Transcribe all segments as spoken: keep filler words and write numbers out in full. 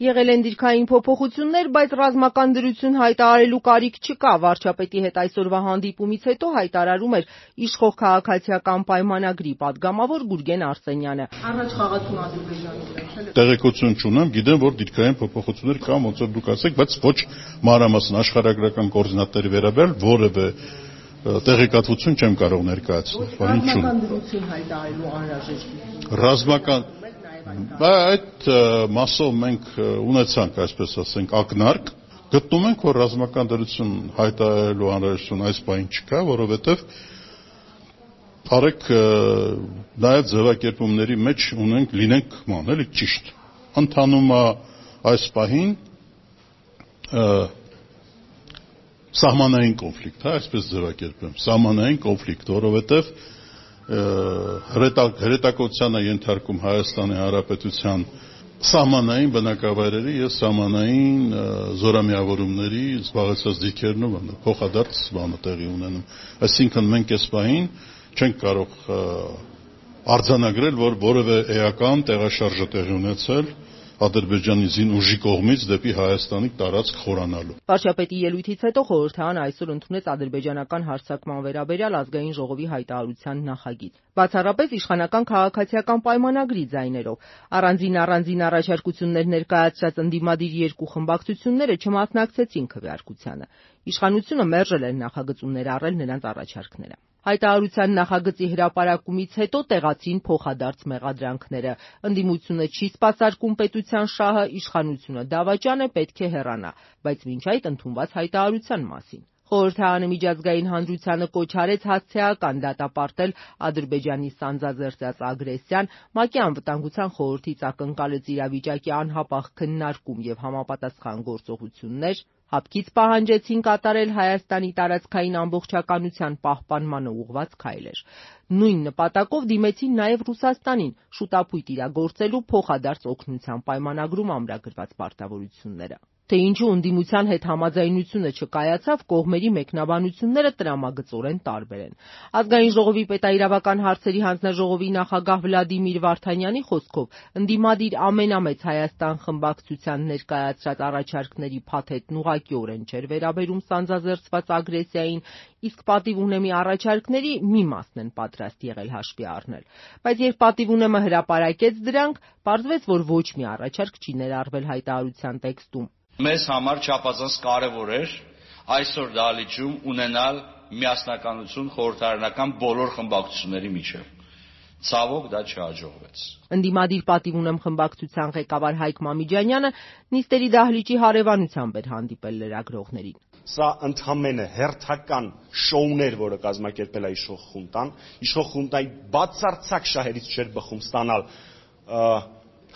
Եղել են դիրքային փոփոխություններ, բայց ռազմական դրություն հայտարարելու կարիք չկա։ Վարչապետի հետ այսօրվա հանդիպումից հետո հայտարարում էր իշխող քաղաքացիական պայմանագրի падգամավոր Գուրգեն Արսենյանը։ Առաջ խաղացում Ադրբեջանի տեղեկություն չունեմ, գիտեմ, որ դիրքային փոփոխություններ կան, ոնց որ դուք ասեք, բայց ոչ մանրամասն աշխարհագրական կոորդինատների վերաբերյալ որևէ տեղեկատվություն չեմ կարող ներկայացնել։ Ռազմական դրություն հայտարարելու անհրաժեշտություն։ Ռազմական Այդ մասով մենք ունեցանք, այսպես ասենք, ակնարկ, գտնում ենք, որ ռազմական դրություն հայտարարելու անհրաժեշտություն այս պահին չկա, որովհետև արեք նաև ձևակերպումների մեջ ունենք, լինենք ման, էլի ճիշտ։ Ընթանում է այս պահին սահմանային կոնֆլիկտ, հա, այսպես ձևակերպեմ, սահմանային կոնֆլիկտ, որովհետև հրետակոծության է ենթարկում Հայաստանի Հանրապետության սահմանային բնակավայրերի և սահմանային զորամիավորումների զբաղեցրած դիրքերն ու փոխադարձ բանը տեղի ունենում։ Այսինքն մենք այս պահին չենք կարող արձանագրել, որ որևէ էական տեղաշարժ է տեղի ունեցել Ադրբեջանի զին ուժի կողմից դեպի Հայաստանի տարածք խորանալու։ Վարչապետի ելույթից հետո խորհրդարանը այսօր ընդունեց ադրբեջանական հարձակման վերաբերյալ ազգային ժողովի հայտարարության նախագիծ։ Բացառապես իշխանական քաղաքացիական պայմանագրի ձայներով առանձին-առանձին առաջարկություններ ներկայացրած ընդդիմադիր երկու խմբակցությունները չմասնակցեցին քվեարկությանը։ Իշխանությունը մերժել էր նախագծում ներառել նրանց առաջարկները։ Հայտարարության նախագծի հրապարակումից հետո տեղացին փոխադարձ մեղադրանքները։ Ընդդիմությունը չի սպասարկում պետության շահը, իշխանությունը դավաճան է, պետք է հեռանա, բայց մինչ այդ ընդունված հայտարարության մասին։ Խորհրդարանը միջազգային հանրությանը կոչ արեց հասցեական դատապարտել Ադրբեջանի սանձազերծած ագրեսիան, ՄԱԿ-ի անվտանգության խորհրդից ակնկալեց իրավիճակի անհապաղ քննարկում և համապատասխան գործողություններ, հապկից պահանջեցին կատարել Հայաստանի տարածքային ամբողջականության պահպանմանը ուղղված քայլեր։ Նույն նպատակով դիմեցին նաև Ռուսաստանին շուտափույթ իրագործելու փոխադարձ օգնության պայմանագրում ամրագրված պարտավորությունները։ Թե ինչու ընդդիմության հետ համաձայնությունը չկայացավ, կողմերի մեկնաբանությունները տրամագծորեն տարբեր են։ Ազգային ժողովի պետաիրավական հարցերի հանձնաժողովի նախագահ Վլադիմիր Վարդանյանի խոսքով ընդդիմադիր ամենամեծ Հայաստան խմբակցության ներկայացրած առաջարկների փաթեթն ուղղակիորեն չէր վերաբերում սանձազերծված ագրեսիային, իսկ պատիվ ունեմի առաջարկների մի մասն են պատրաստ եղել հաշվի առնել։ Բայց երբ պատիվ ունեմը հրապարակեց դրանք, պարզվեց, որ ոչ մի առաջարկ չի ներառվել հայտարարության տեքստում։ Մեզ համար չափազանց կարևոր էր այսօր դահլիճում ունենալ միասնականություն խորհրդարանական բոլոր խմբակցությունների միջև։ Ցավոք դա չհաջողվեց։ Ընդդիմադիր պատիվ ունեմ խմբակցության ղեկավար Հայկ Մամիջանյանը նիստերի դահլիճի հարևանությամբ էր հանդիպել լրագրողներին։ Սա ընդհանրապես հերթական շոուն էր, որը կազմակերպել է իշխող խունտան։ Իշխող խունտայի բացարձակ շահերից չէր բխում ստանալ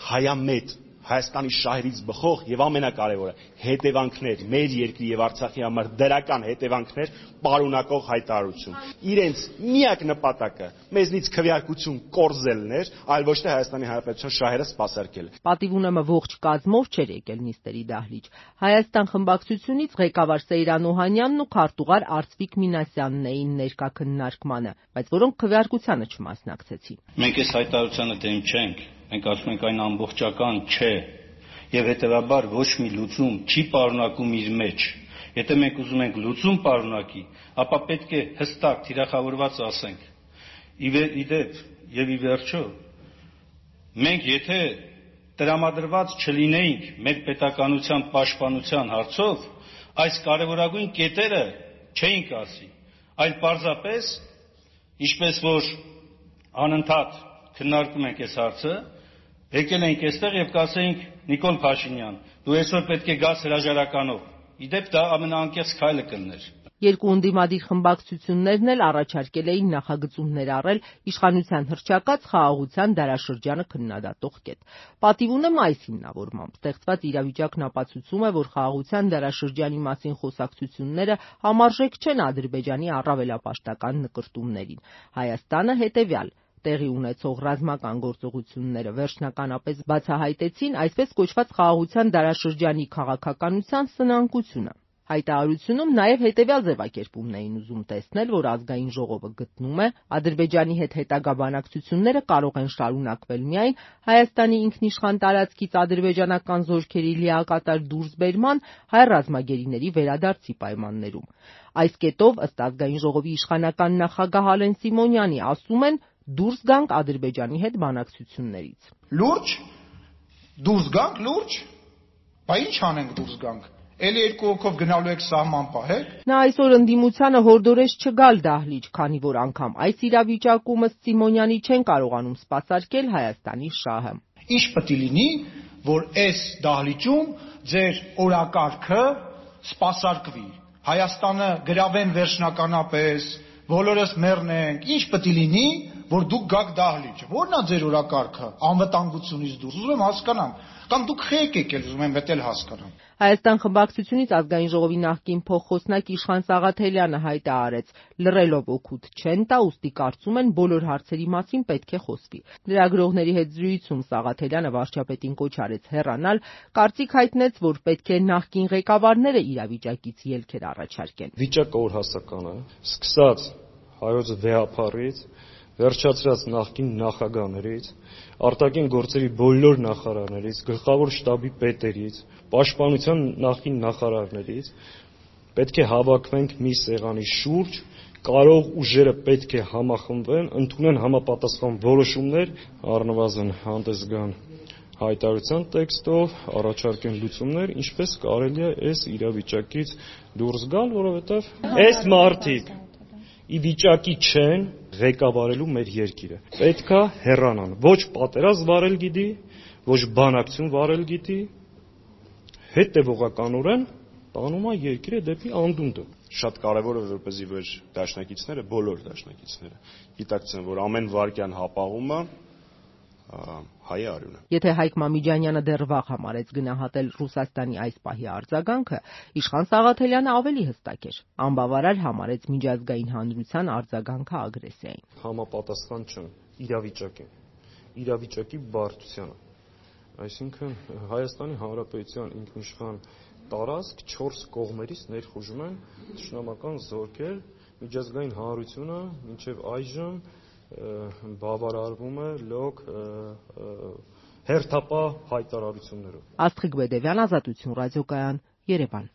հայամետ Հայաստանի շահերից բխող եւ ամենակարևորը հետևանքներ մեր երկրի եւ Արցախի համար դրական հետևանքներ պարունակող հայտարարություն։ Իրենց միակ նպատակը մեզնից քվեարկություն կորզելն էր, այլ ոչ թե Հայաստանի Հանրապետության շահերը սպասարկել։ Պատիվ ունեմը ողջ կազմով չէր եկել նիստերի դահլիճ։ Հայաստան խմբակցությունից ղեկավար Սեյրան Օհանյանն ու քարտուղար Արծվիկ Մինասյանն էին ներկա քննարկմանը, բայց որոնք քվեարկությանը չմասնակցեցին։ Մենք այս հայտարարությանը դեմ չենք։ Մենք ասում ենք այն ամբողջական չէ եւ հետեւաբար ոչ մի լուծում չի պարունակում իր մեջ։ Եթե մենք ուզում ենք լուծում պարունակի, ապա պետք է հստակ թիրախավորված ասենք։ Իդեպ եւ ի վերջո մենք եթե տրամադրված չլինեինք մեր պետականության պաշտպանության հարցով, այս կարևորագույն կետերը չէինք ասի, այլ պարզապես, ինչպես որ անընդհատ քննարկում ենք այս հարցը, եկել ենք այստեղ եւ կասեինք Նիկոլ Փաշինյան, դու այսօր պետք է գաս հրաժարականով։ Իդեպ դա ամենաանկեղծ քայլը կլներ։ Երկու ընդդիմադիր խմբակցություններն էլ առաջարկել էին նախագծում ներառել իշխանության հռչակած խաղաղության դարաշրջանը քննադատող կետ։ Պատիվ ունեմ այս հիմնավորմամբ ստեղծված իրավիճակն ապացուցում է, որ խաղաղության դարաշրջանի մասին խոսակցությունները համարժեք չեն Ադրբեջանի առավելապաշտական նկրտումներին։ Հայաստանը հետևյալ տեղի ունեցող ռազմական գործողությունները վերջնականապես բացահայտեցին այսպես կոչված խաղաղության դարաշրջանի քաղաքականության սնանկությունը։ Հայտարարությունում նաև հետևյալ ձևակերպումն էին ուզում տեսնել, որ ազգային ժողովը գտնում է Ադրբեջանի հետ հետագա բանակցությունները կարող են շարունակվել միայն Հայաստանի ինքնիշխան տարածքից ադրբեջանական զորքերի լիակատար դուրսբերման, հայ ռազմագերիների վերադարձի պայմաններում։ Այս կետով, ըստ ազգային ժողովի իշխանական նախագահ Ալեն Սիմոնյանի, ասում են, դուրս գանք Ադրբեջանի հետ բանակցություններից։ Լուրջ, դուրս գանք, լուրջ, բա ինչ անենք դուրս գանք։ Էլի երկու հոգով գնալու եք սահման պահեք։ Նա այսօր ընդդիմությանը հորդորեց չգալ դահլիճ, քանի որ անգամ այս իրավիճակում ըստ Սիմոնյանի չեն կարողանում սպասարկել Հայաստանի շահը։ Ինչ պետք է լինի, որ այս դահլիճում ձեր օրակարգը սպասարկվի։ Հայաստանը գրավեն վերջնականապես, բոլորս մեռնենք, ինչ պետք է լինի, որ դուք գաք դահլիճ։ Որն է ձեր օրակարգը անվտանգությունից դուրս։ Ուզում եմ հասկանամ, կամ դուք խեք եկել, ուզում եմ վետել հասկանամ։ Հայաստան խմբակցությունից ազգային ժողովի նախկին փոխխոսնակ Իշխան Սաղաթելյանը հայտարարեց, լռելով օգուտ չեն տա, ուստի կարծում են բոլոր հարցերի մասին պետք է խոսվի։ Լրագրողների հետ զրույցում Սաղաթելյանը վարչապետին կոչ արեց հեռանալ, կարծիք հայտնեց, որ պետք է նախկին ղեկավարները իրավիճակից ելքեր առաջարկեն։ Վիճակը օրհասական է, սկսած հայոց վեհապարից, վերջացրած նախկին նախագահներից, արտաքին գործերի բոլոր նախարարներից, գլխավոր շտաբի պետերից, պաշտպանության նախկին նախարարներից, պետք է հավաքվենք մի սեղանի շուրջ, կարող ուժերը պետք է համախմբվեն, ընդունեն համապատասխան որոշումներ, առնվազն հանդես գան հայտարարության տեքստով, առաջարկեն լուծումներ, ինչպես կարելի է այս իրավիճակից դուրս գալ, որովհետև այս մարդիկ ի վիճակի չեն ղեկավարելու մեր երկիրը։ Պետքա հեռանան, ոչ պատերազմ վարել գիտի, ոչ բանակցություն վարել գիտի, հետևողականորեն տանում է երկիրը դեպի անդունդը։ Շատ կարևոր է, որպեսզի որ դաշնակիցները, բոլոր դաշնակիցները գիտակցեն, որ ամեն վարքյան հապաղումը հայ արյուն է։ Եթե Հայկ Մամիջանյանը դեռ վաղ համարեց գնահատել Ռուսաստանի այս պահի արձագանքը, Իշխան Սաղաթելյանը ավելի հստակ էր։ Անբավարար համարեց միջազգային հանրության արձագանքը ագրեսիային։ Համապատասխան չեն իրավիճակին, իրավիճակի բարդությանը։ Այսինքն Հայաստանի Հանրապետության ինքնիշխան տարածք չորս կողմերից ներխուժում են թշնամական զորքեր, միջազգային հանրությունը մինչև այժմ բավարարվում է լոկ հերթապահ հայտարարություններով։ Աստղիկ Բեդևյան, Ազատություն ռադիոկայան, Երևան։